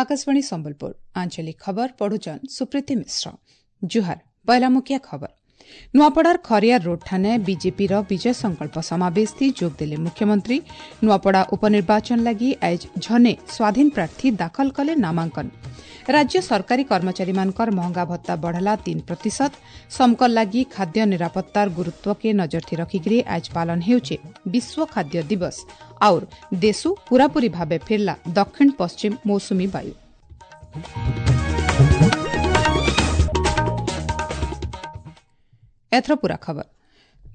आकाशवाणी संबलपुर आंचलिक खबर पढ़ुचन सुप्रीति मिश्र। जुहार। पहला मुखिया खबर। नुआपड़ार खरियार रोड ठाने बीजेपी विजय संकल्प समावेश थी जोग देले मुख्यमंत्री। नुआपड़ा उपनिर्वाचन लागि आइज झने स्वाधीन प्रार्थी दाखल कले नामांकन। राज्य सरकारी कर्मचारी मानकर महंगा भत्ता बढ़ला 3%। समकल लागि खाद्य निरापत्तार गुरुत्व के नजर थी रखिकरी आज पालन हेउचे विश्व खाद्य दिवस। और देशु पूरापूरी भावे फिरला दक्षिण पश्चिम मौसुमी वायु। एथर पूरा खबर।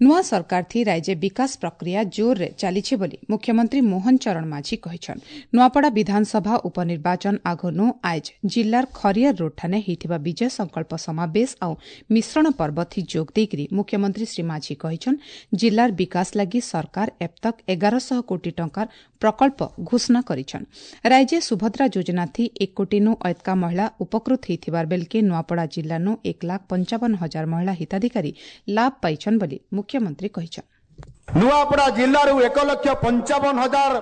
नुआ सरकार थी राज्य विकास प्रक्रिया जोर रे चालीছে बोली मुख्यमंत्री मोहन चरण माझी कहिछन। नुआपड़ा विधानसभा उपनिर्वाचन आगनु आइज जिल्लार खरियार रोड ठाने हेइथिबा विजय संकल्प समावेश आउ मिश्रण पर्व थी जोग देइकरी मुख्यमंत्री श्री माझी कहिछन जिल्लार विकास लागि सरकार अब तक 1100 कोटी टंकार प्रकल्प घोषणा करिछन। राज्य सुभद्रा योजना थी 1 कोटी नु अयतका महिला उपकृत हेइथिबार बेलके नुआपड़ा जिल्ला नु 1,55,000 महिला हिताधिकारी लाभ पाइछन बोली मुख्यमंत्री कहिछन। नुआपड़ा जिल्लारु 1,55,000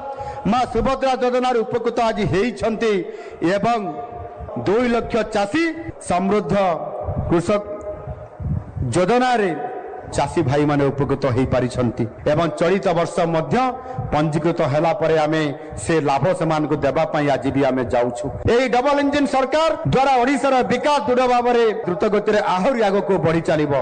मा सुभद्रा योजनार उपकृत आज हेइछन्ति एवं 2 लक्ष चाषी समृद्ध कृषक योजनारे चाषी भाई माने उपकृत होई परिछन्ति एवं चलित वर्ष मध्य पंजीकृत हला परे आमे से लाभ सेमानको देबा पई आज भी आमे जाउछु। एही डबल इंजिन सरकार द्वारा ओडिशार विकास दृढ़ भाबरे द्रुत गतिरे आहुरी आगको बढ़ी चालिबो।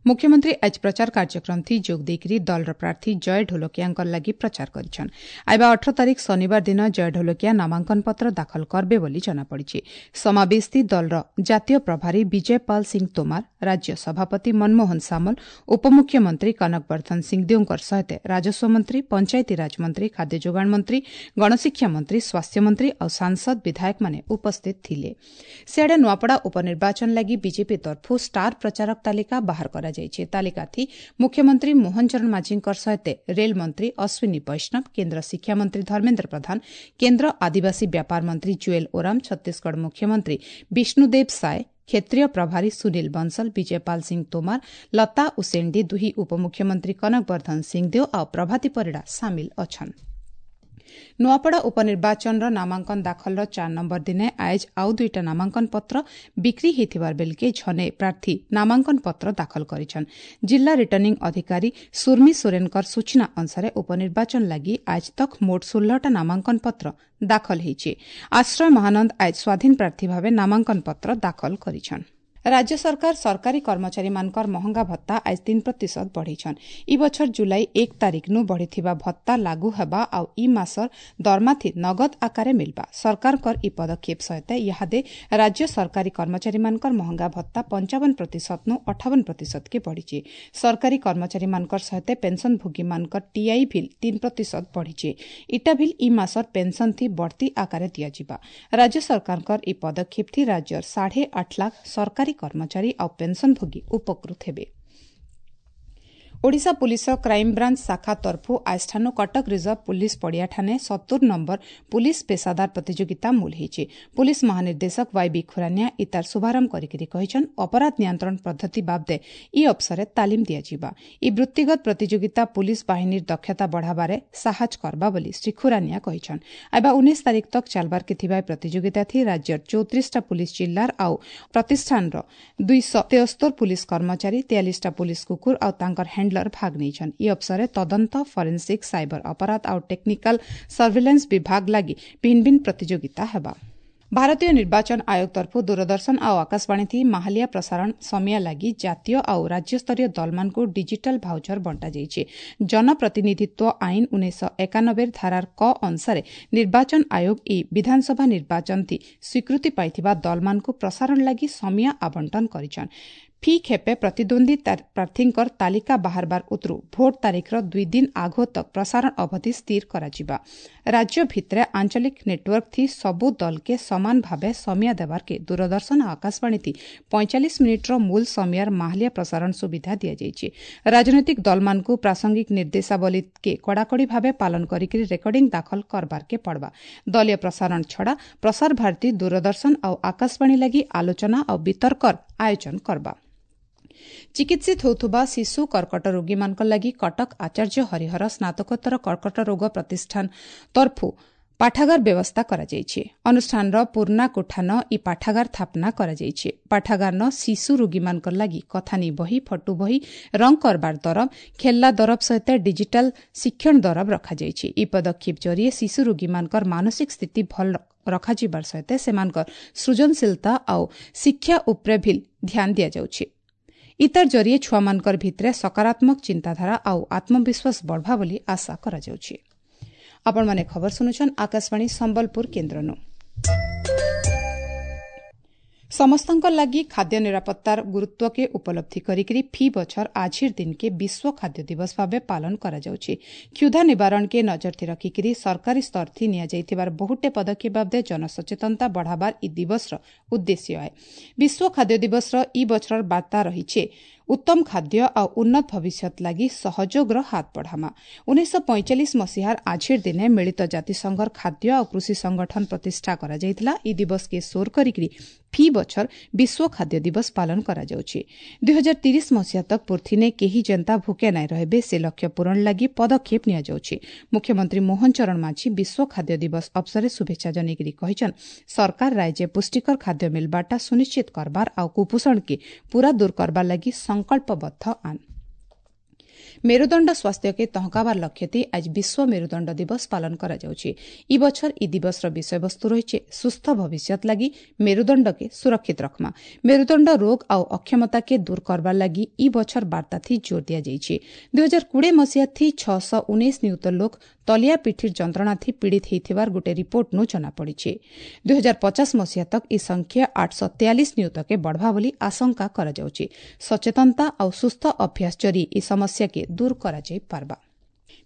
मुख्यमंत्री आज प्रचार कार्यक्रम थी जोग देइकरी दलर प्रार्थी जय ढोलकियांकर लागि प्रचार करिछन। आइबा 18 तारीख शनिवार दिन जय ढोलकिया नामांकन पत्र दाखल करबे बोली जना पड़िछि। समावेश थी दलर जातीय प्रभारी विजय पाल सिंह तोमार, राज्य सभापति मनमोहन सामल, उपमुख्यमंत्री कनक वर्धन सिंहदेवकर सहित राजस्व मंत्री, पंचायती राज मंत्री, खाद्य जोगाण मंत्री, गणशिक्षा मंत्री, स्वास्थ्य मंत्री और सांसद विधायक माने उपस्थित थिले। सियाडे नुआपड़ा उपनिर्वाचन लागि बीजेपी तरफु स्टार प्रचारक तालिका बाहर करा जाइছে। तालिका थी मुख्यमंत्री मोहन चरण माझींकर सहित रेल मंत्री अश्विनी वैष्णव, केंद्र शिक्षा मंत्री धर्मेन्द्र प्रधान, केंद्र आदिवासी व्यापार मंत्री जुएल ओराम, छत्तीसगढ़ मुख्यमंत्री विष्णुदेव साय, क्षेत्रीय प्रभारी सुनील बंसल, विजयपाल सिंह तोमार, लता उसेंडी, दुही उपमुख्यमंत्री कनक वर्धन सिंहदेव और प्रभाती परिडा सामिल अछन्। नुआपड़ा उपनिर्वाचनर नामांकन दाखलर 4 नम्बर दिने आइज आउ दुईटा नामांकन पत्र बिक्री हेइथिबार बेलके झने प्रार्थी नामांकन पत्र दाखल करिछन। जिल्ला रिटर्निंग अधिकारी सुर्मी सोरेनकर सूचना अनुसार उपनिर्वाचन लागि आज तक मोट 16टा नामांकन पत्र दाखल हेइছে। आश्रय महानंद आज स्वाधीन प्रार्थी भावे नामांकन पत्र दाखल करिछन। राज्य सरकार सरकारी कर्मचारी मानकर महंगा भत्ता आज 3% बढ़ेछन। इ बछर जुलाई 1 तारीख नु बढ़िथिबा भत्ता लागू हेबा आउ इ मासर दरमाथि नगद आकारे मिलबा। सरकारकर इ पदक्षेप सहित इहादे राज्य सरकारी कर्मचारी मानकर महंगा भत्ता 55% नु 58% के बढ़िছে। सरकारी कर्मचारी मानकर सहित पेंशनभोगी मानकर टीआई ଭିଲ 3% बढ़िছে। इटा ଭିଲ इ मासर पेंशन थी बढ़ती आकारे दियाजिबा। राज्य सरकारकर इ पदक्षेप थी राज्यर 8.5 लाख सरकारी कर्मचारी और पेंशनभोगी उपकृत हेबे। ओडिशा पुलिस क्राइमब्रांच शाखा तरफु आजठानु कटक रिजर्व पुलिस पड़ियाठाने 70 नम्बर पुलिस पेशादार प्रतियोगिता मूल हेइছে। पुलिस महानिर्देशक वाईबी खुरानिया इतार शुभारंभ करिकरी कहिछन अपराध नियंत्रण पद्धति बाबदे इ अवसरे तालीम दियाजिबा। इ वृत्तिगत प्रतियोगिता पुलिस बाहिनीर दक्षता बढ़ाबारे साहाଯ୍य करबा बोली श्री खुरानिया कहिछन। आइबा 19 तारीख तक चालबार के थिबा प्रतियोगिता थी राज्यर 34टा पुलिस जिल्लार आउ प्रतिष्ठानर 273 पुलिस कर्मचारी, 43टा पुलिस कुकुर आउ तांकर हैंडलर भाग नेछन। इ अवसरे तदंत, फॉरेंसिक, साइबर अपराध आउ टेक्निकल सर्विलांस विभाग लागि भिन्न भिन्न प्रतियोगिता हेबा। भारतीय निर्वाचन आयोग तरफु दूरदर्शन आउ आकाशवाणी थी माहलिया प्रसारण समिया लागि जातीय आउ राज्यस्तरीय दलमानको डिजिटल भाउचर बंटा जाइছে। जनप्रतिनिधित्व आइन 1991 धारार क अनुसार निर्वाचन आयोग इ विधानसभा निर्वाचन थी स्वीकृति पाइथिबा दलमानको प्रसारण लागि समिया आवंटन करिछन। फी खेपे प्रतिद्वंदी प्रार्थींकर तालिका बाहरबार उतरू भोट तारीखर 2 दिन आघो तक प्रसारण अवधि स्थिर कराଯିବା। राज्य भितरे आंचलिक नेटवर्क थी सबु दल के समान भावे समिया देबार के दूरदर्शन आकाशवाणी थी 45 मिनिटर मूल समियार माहलिया प्रसारण सुविधा दियाଯାଇଛି। राजनैतिक दलमानकु प्रासंगिक निर्देशावली के कड़ाकड़ी भावे पालन करिकरी रेकर्डिंग दाखल करबार के पड़बा। दलीय प्रसारण छड़ा प्रसार भारती, दूरदर्शन आउ आकाशवाणी लागि आलोचना आउ वितर्कर आयोजन करबा। ଚିକିତ୍ସିତ ହେଉଥିବା ଶିଶୁ କର୍କଟ ରୋଗୀମାନଙ୍କ ଲାଗି କଟକ ଆଚାର୍ଯ୍ୟ ହରିହର ସ୍ନାତକୋତ୍ତର କର୍କଟ ରୋଗ ପ୍ରତିଷ୍ଠାନ ତରଫୁ ପାଠାଗାର ବ୍ୟବସ୍ଥା କରାଯାଇଛି। ଅନୁଷ୍ଠାନର ପୁରୁଣା କୋଠାନ ଇ ପାଠାଗାର ସ୍ଥାପନା କରାଯାଇଛି। ପାଠାଗାରନ ଶିଶୁ ରୋଗୀମାନଙ୍କର ଲାଗି କଥାନୀ ବହି, ଫଟୋ ବହି, ରଙ୍ଗ କରବାର ଦରବ, ଖେଲ୍ଲା ଦରବ ସହିତ ଡିଜିଟାଲ ଶିକ୍ଷଣ ଦରବ ରଖାଯାଇଛି। ଇ ପଦକ୍ଷେପ ଜରିଏ ଶିଶୁ ରୋଗୀମାନଙ୍କର ମାନସିକ ସ୍ଥିତି ଭଲ ରଖାଯିବାର ସହିତ ସେମାନଙ୍କର ସୃଜନଶୀଳତା ଆଉ ଶିକ୍ଷା ଉପରେ ଭିଲ୍ ଧ୍ୟାନ ଦିଆଯାଉଛି। ଇତାର ଜରିଏ ଛୁଆମାନଙ୍କର ଭିତରେ ସକାରାତ୍ମକ ଚିନ୍ତାଧାରା ଆଉ ଆତ୍ମବିଶ୍ୱାସ ବଢ଼ବା ବୋଲି ଆଶା କରାଯାଉଛି। ଆପଣମାନେ ଖବର ଶୁଣୁଛନ୍ ଆକାଶବାଣୀ ସମ୍ବଲପୁର କେନ୍ଦ୍ରନୁ। ସମସ୍ତଙ୍କ ଲାଗି ଖାଦ୍ୟ ନିରାପତ୍ତାର ଗୁରୁତ୍ୱକେ ଉପଲବ୍ଧି କରିକିରି ଫି ବଛର ଆଜିର ଦିନକେ ବିଶ୍ୱ ଖାଦ୍ୟ ଦିବସ ଭାବେ ପାଳନ କରାଯାଉଛି। କ୍ଷୁଧା ନିବାରଣକେ ନଜରଥି ରଖିକିରି ସରକାରୀ ସ୍ତରଥି ନିଆଯାଇଥିବାର ବହୁଟେ ପଦକ୍ଷେପ ବାବଦେ ଜନସଚେତନତା ବଢ଼ାବାର ଇ ଦିବସର ଉଦ୍ଦେଶ୍ୟ ଆଏ। ବିଶ୍ୱ ଖାଦ୍ୟ ଦିବସର ଇ ବଛରର ବାର୍ତ୍ତା ରହିଛି ଉତ୍ତମ ଖାଦ୍ୟ ଆଉ ଉନ୍ନତ ଭବିଷ୍ୟତ ଲାଗି ସହଯୋଗର ହାତ ବଢ଼ାମା। 1945 ମସିହାର ଆଜିର ଦିନେ ମିଳିତ ଜାତିସଂଘର ଖାଦ୍ୟ ଆଉ କୃଷି ସଂଗଠନ ପ୍ରତିଷ୍ଠା କରାଯାଇଥିଲା। ଇ ଦିବସକେ ସୋର କରିକିରି ଫି ବଛର ବିଶ୍ୱ ଖାଦ୍ୟ ଦିବସ ପାଳନ କରାଯାଉଛି। 2030 ମସିହା ତକ୍ ପୃଥିନେ କେହି ଯେନ୍ତା ଭୁକେ ନାଇଁ ରହିବେ ସେ ଲକ୍ଷ୍ୟ ପୂରଣ ଲାଗି ପଦକ୍ଷେପ ନିଆଯାଉଛି। ମୁଖ୍ୟମନ୍ତ୍ରୀ ମୋହନ ଚରଣ ମାଝୀ ବିଶ୍ୱ ଖାଦ୍ୟ ଦିବସ ଅବସରରେ ଶୁଭେଚ୍ଛା ଜଣାଇକରି କହିଛନ୍, ସରକାର ରାଜ୍ୟ ପୁଷ୍ଟିକର ଖାଦ୍ୟ ମିଲବାରଟା ସୁନିଶ୍ଚିତ କରବାର ଆଉ କୁପୋଷଣକେ ପୂରା ଦୂର କରବାର ଲାଗି ସଂକଳ୍ପବଦ୍ଧ ଆନ୍। ମେରୁଦଣ୍ଡ ସ୍ୱାସ୍ଥ୍ୟକେ ତହକାବାର ଲକ୍ଷ୍ୟଥି ଆଜି ବିଶ୍ୱ ମେରୁଦଣ୍ଡ ଦିବସ ପାଳନ କରାଯାଉଛି। ଇ ବଛର ଇ ଦିବସର ବିଷୟବସ୍ତୁ ରହିଛି ସୁସ୍ଥ ଭବିଷ୍ୟତ ଲାଗି ମେରୁଦଣ୍ଡକେ ସୁରକ୍ଷିତ ରଖମା। ମେରୁଦଣ୍ଡ ରୋଗ ଆଉ ଅକ୍ଷମତାକେ ଦୂର କରବାର ଲାଗି ଇ ବଛର ବାର୍ତ୍ତାଥି ଜୋର ଦିଆଯାଇଛି। 2020 ମସିହାଥି 619 ନିୟୁତ ଲୋକ ତଲିଆ ପିଠିର ଯନ୍ତ୍ରଣାଥି ପୀଡ଼ିତ ହୋଇଥିବାର ଗୋଟେ ରିପୋର୍ଟନୁ ଜଣାପଡ଼ିଛି। 2050 ମସିହା ତକ୍ ଇ ସଂଖ୍ୟା 843 ନିୟୁତକେ ବଢ଼ବା ବୋଲି ଆଶଙ୍କା କରାଯାଉଛି। ସଚେତନତା ଆଉ ସୁସ୍ଥ ଅଭ୍ୟାସ ଜରିଏ ଇ ସମସ୍ୟାକେ ଦୂର କରାଯାଇପାରବା।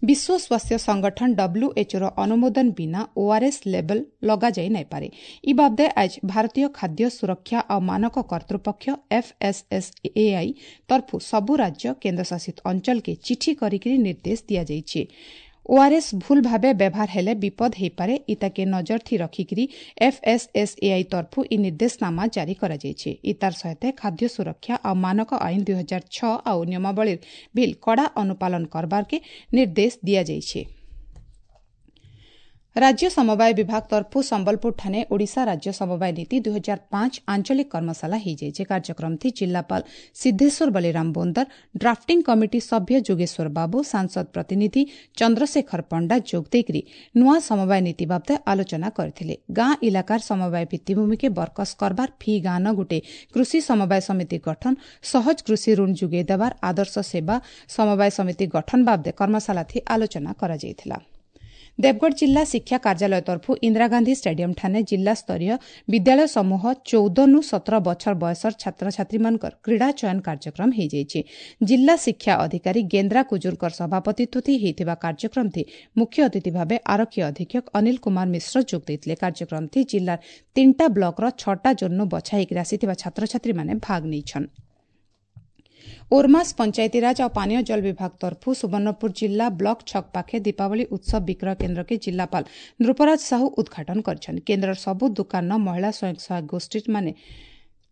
ବିଶ୍ୱ ସ୍ୱାସ୍ଥ୍ୟ ସଂଗଠନ ଡବ୍ଲ୍ୟୁଏଚ୍ଓର ଅନୁମୋଦନ ବିନା ଓଆର୍ଏସ୍ ଲେବଲ୍ ଲଗାଯାଇ ନାଇପାରେ। ଇ ବାବଦେ ଆଜ ଭାରତୀୟ ଖାଦ୍ୟ ସୁରକ୍ଷା ଆଉ ମାନକ କର୍ତ୍ତୃପକ୍ଷ ଏଫ୍ଏସ୍ଏସ୍ଏଆଇ ତରଫୁ ସବୁ ରାଜ୍ୟ କେନ୍ଦ୍ରଶାସିତ ଅଞ୍ଚଳକେ ଚିଠି କରିକିରି ନିର୍ଦ୍ଦେଶ ଦିଆଯାଇଛି। ଓଆର୍ଏସ୍ ଭୁଲ ଭାବେ ବ୍ୟବହାର ହେଲେ ବିପଦ ହୋଇପାରେ। ଇତାକେ ନଜରଥି ରଖିକିରି ଏଫ୍ଏସ୍ଏସ୍ଏଆଇ ତରଫୁ ଇ ନିର୍ଦ୍ଦେଶନାମା ଜାରି କରାଯାଇଛି। ଇତାର ସହିତ ଖାଦ୍ୟ ସୁରକ୍ଷା ଆଉ ମାନକ ଆଇନ 2006 ଆଉ ନିୟମାବଳୀର ବିଲ୍ କଡ଼ା ଅନୁପାଳନ କରବାରକେ ନିର୍ଦ୍ଦେଶ ଦିଆଯାଇଛି। ରାଜ୍ୟ ସମବାୟ ବିଭାଗ ତରଫୁ ସମ୍ବଲପୁରଠାରେ ଓଡ଼ିଶା ରାଜ୍ୟ ସମବାୟ ନୀତି 2005 ଆଞ୍ଚଳିକ କର୍ମଶାଳା ହୋଇଯାଇଛି। କାର୍ଯ୍ୟକ୍ରମଥି ଜିଲ୍ଲାପାଳ ସିଦ୍ଧେଶ୍ୱର ବଳିରାମ ବୋନ୍ଦର, ଡ୍ରାଫ୍ଟିଂ କମିଟି ସଭ୍ୟ ଯୋଗେଶ୍ୱର ବାବୁ, ସାଂସଦ ପ୍ରତିନିଧି ଚନ୍ଦ୍ରଶେଖର ପଣ୍ଡା ଯୋଗ ଦେଇକରି ନୂଆ ସମବାୟ ନୀତି ବାବଦେ ଆଲୋଚନା କରିଥିଲେ। ଗାଁ ଇଲାକାର ସମବାୟ ଭିତ୍ତିଭୂମିକେ ବରକସ କରବାର, ଫି ଗାଁନ ଗୋଟେ କୃଷି ସମବାୟ ସମିତି ଗଠନ, ସହଜ କୃଷି ଋଣ ଯୋଗାଇ ଦେବାର, ଆଦର୍ଶ ସେବା ସମବାୟ ସମିତି ଗଠନ ବାବଦେ କର୍ମଶାଳାଥି ଆଲୋଚନା କରାଯାଇଥିଲା। ଦେବଗଡ଼ ଜିଲ୍ଲା ଶିକ୍ଷା କାର୍ଯ୍ୟାଳୟ ତରଫୁ ଇନ୍ଦିରା ଗାନ୍ଧୀ ଷ୍ଟାଡିୟମଠାରେ ଜିଲ୍ଲାସ୍ତରୀୟ ବିଦ୍ୟାଳୟ ସମୂହ 14ରୁ 17 ବଛର ବୟସର ଛାତ୍ରଛାତ୍ରୀମାନଙ୍କର କ୍ରୀଡ଼ା ଚୟନ କାର୍ଯ୍ୟକ୍ରମ ହୋଇଯାଇଛି। ଜିଲ୍ଲା ଶିକ୍ଷା ଅଧିକାରୀ ଗେନ୍ଦ୍ରା କୁଜୁରଙ୍କର ସଭାପତିତ୍ୱ ହୋଇଥିବା କାର୍ଯ୍ୟକ୍ରମଥି ମୁଖ୍ୟ ଅତିଥି ଭାବେ ଆରକ୍ଷୀ ଅଧୀକ୍ଷକ ଅନିଲ କୁମାର ମିଶ୍ର ଯୋଗ ଦେଇଥିଲେ। କାର୍ଯ୍ୟକ୍ରମଥି ଜିଲ୍ଲାର 3ଟା ବ୍ଲକର 6ଟା ଜୋନ୍ରୁ ବଛା ହୋଇକି ଆସିଥିବା ଛାତ୍ରଛାତ୍ରୀମାନେ ଭାଗ ନେଇଛନ୍। ଓର୍ମାସ୍ ପଞ୍ଚାୟତିରାଜ ଆଉ ପାନୀୟ ଜଳ ବିଭାଗ ତରଫୁ ସୁବର୍ଣ୍ଣପୁର ଜିଲ୍ଲା ବ୍ଲକ ଛକ ପାଖେ ଦୀପାବଳି ଉତ୍ସବ ବିକ୍ରୟ କେନ୍ଦ୍ରକେ ଜିଲ୍ଲାପାଳ ନୃପରାଜ ସାହୁ ଉଦ୍ଘାଟନ କରିଛନ୍ତି। କେନ୍ଦ୍ରର ସବୁ ଦୋକାନ ମହିଳା ସ୍ୱୟଂ ସହାୟକ ଗୋଷ୍ଠୀମାନେ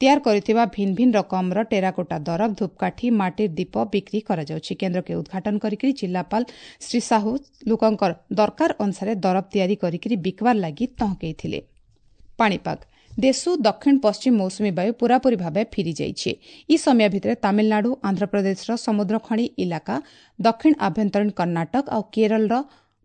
ତିଆରି କରିଥିବା ଭିନ୍ନ ଭିନ୍ନ ରକମର ଟେରାକୋଟା ଦରବ, ଧୂପକାଠି, ମାଟିର ଦୀପ ବିକ୍ରି କରାଯାଉଛି। କେନ୍ଦ୍ରକେ ଉଦ୍ଘାଟନ କରିକି ଜିଲ୍ଲାପାଳ ଶ୍ରୀ ସାହୁ ଲୋକଙ୍କର ଦରକାର ଅନୁସାରେ ଦରବ ତିଆରି କରିକି ବିକବାର ଲାଗି ତହକେଇଥିଲେ। ପାଣିପାଗ ଦେଶୁ ଦକ୍ଷିଣ ପଶ୍ଚିମ ମୌସୁମୀ ବାୟୁ ପୂରାପୂରି ଭାବେ ଫିରିଯାଇଛି। ଇ ସମୟ ଭିତରେ ତାମିଲନାଡୁ, ଆନ୍ଧ୍ରପ୍ରଦେଶର ସମୁଦ୍ରଖଣି ଇଲାକା, ଦକ୍ଷିଣ ଆଭ୍ୟନ୍ତରୀଣ କର୍ଣ୍ଣାଟକ ଆଉ କେରଳର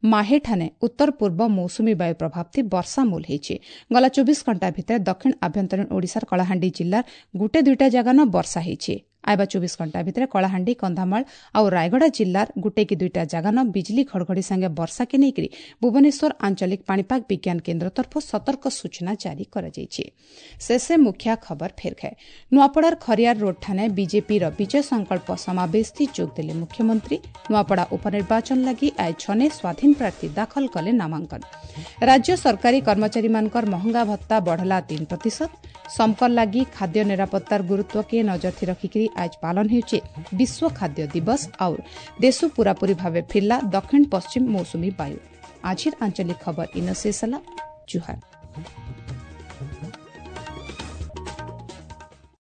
ମାହେଠାନେ ଉତ୍ତର ପୂର୍ବ ମୌସୁମୀ ବାୟୁ ପ୍ରଭାବଥି ବର୍ଷା ମୂଲ ହୋଇଛି। ଗଲା 24 ଘଣ୍ଟା ଭିତରେ ଦକ୍ଷିଣ ଆଭ୍ୟନ୍ତରୀଣ ଓଡ଼ିଶାର କଳାହାଣ୍ଡି ଜିଲ୍ଲାର ଗୋଟେ ଦୁଇଟା ଜାଗାନ ବର୍ଷା ହୋଇଛି। ଆଇବା 24 ଘଣ୍ଟା ଭିତରେ କଳାହାଣ୍ଡି, କନ୍ଧମାଳ ଆଉ ରାୟଗଡ଼ା ଜିଲ୍ଲାର ଗୋଟେ କି ଦୁଇଟା ଜାଗାନ ବିଜୁଳି ଘଡ଼ଘଡ଼ି ସାଙ୍ଗେ ବର୍ଷାକେ ନେଇକରି ଭୁବନେଶ୍ୱର ଆଞ୍ଚଳିକ ପାଣିପାଗ ବିଜ୍ଞାନ କେନ୍ଦ୍ର ତରଫରୁ ସତର୍କ ସୂଚନା ଜାରି କରାଯାଇଛି। ଶେଷେ ମୁଖ୍ୟ ଖବର ଫେର ଖାଏ। ନୂଆପଡ଼ାର ଖରିଆର ରୋଡ୍ଠାରେ ବିଜେପିର ବିଜୟ ସଂକଳ୍ପ ସମାବେଶଥି ଯୋଗଦେଲେ ମୁଖ୍ୟମନ୍ତ୍ରୀ। ନୂଆପଡ଼ା ଉପନିର୍ବାଚନ ଲାଗି ଆଜି ଛନେ ସ୍ୱାଧୀନ ପ୍ରାର୍ଥୀ ଦାଖଲ କଲେ ନାମାଙ୍କନ। ରାଜ୍ୟ ସରକାରୀ କର୍ମଚାରୀମାନଙ୍କର ମହଙ୍ଗା ଭତ୍ତା ବଢ଼ଲା 3%। ସମକର ଲାଗି ଖାଦ୍ୟ ନିରାପତ୍ତାର ଗୁରୁତ୍ୱକେ ନଜରଥି ରଖିକରି ଆଜ ପାଳନ ହେଉଛି ବିଶ୍ୱ ଖାଦ୍ୟ ଦିବସ। ଆଉ ଦେଶ ପୂରାପୂରି ଭାବେ ଫିରିଲା ଦକ୍ଷିଣ ପଶ୍ଚିମ ମୌସୁମୀ ବାୟୁ। ଆଜିର ଆଞ୍ଚଳିକ ଖବର ଇନ ଶେଷ ହେଲା। ଜୁହାର।